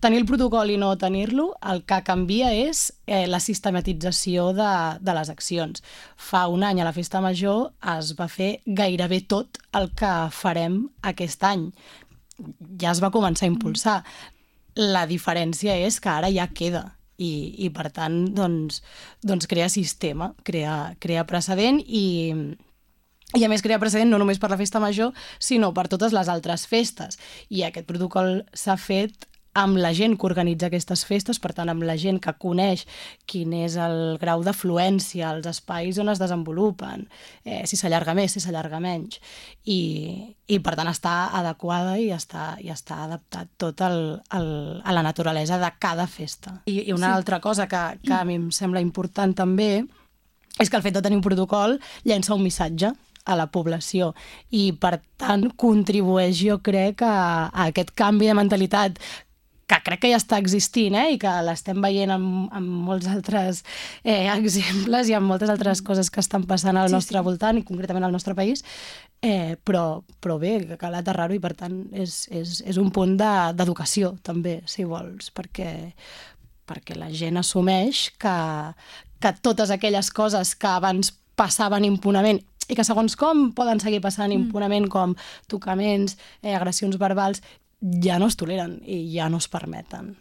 tenir el protocol i no tenir-lo, el que canvia és la sistematització de les accions. Fa un any a la Festa Major es va fer gairebé tot el que farem aquest any. Ja es va començar a impulsar. La diferència és que ara ja queda i per tant, doncs crea sistema, crea precedent i a més crea precedent no només per la Festa Major, sinó per totes les altres festes. I aquest protocol s'ha fet amb la gent que organitza aquestes festes, per tant, amb la gent que coneix quin és el grau d'afluència, els espais on es desenvolupen, si s'allarga més, si s'allarga menys. I per tant, està adequada i està adaptat tot a la naturalesa de cada festa. I una altra cosa que a mi em sembla important també és que el fet de tenir un protocol llença un missatge a la població i, per tant, contribueix, jo crec, a aquest canvi de mentalitat que crec que ja està existint i que l'estem veient en molts altres exemples i en moltes altres coses que estan passant al nostre voltant i concretament al nostre país, però bé, que cal aterrar-ho i per tant és un punt d'educació també, si vols, perquè la gent assumeix que totes aquelles coses que abans passaven impunament i que segons com poden seguir passant impunament, com tocaments, agressions verbals, ja no es toleren i ja no es permeten.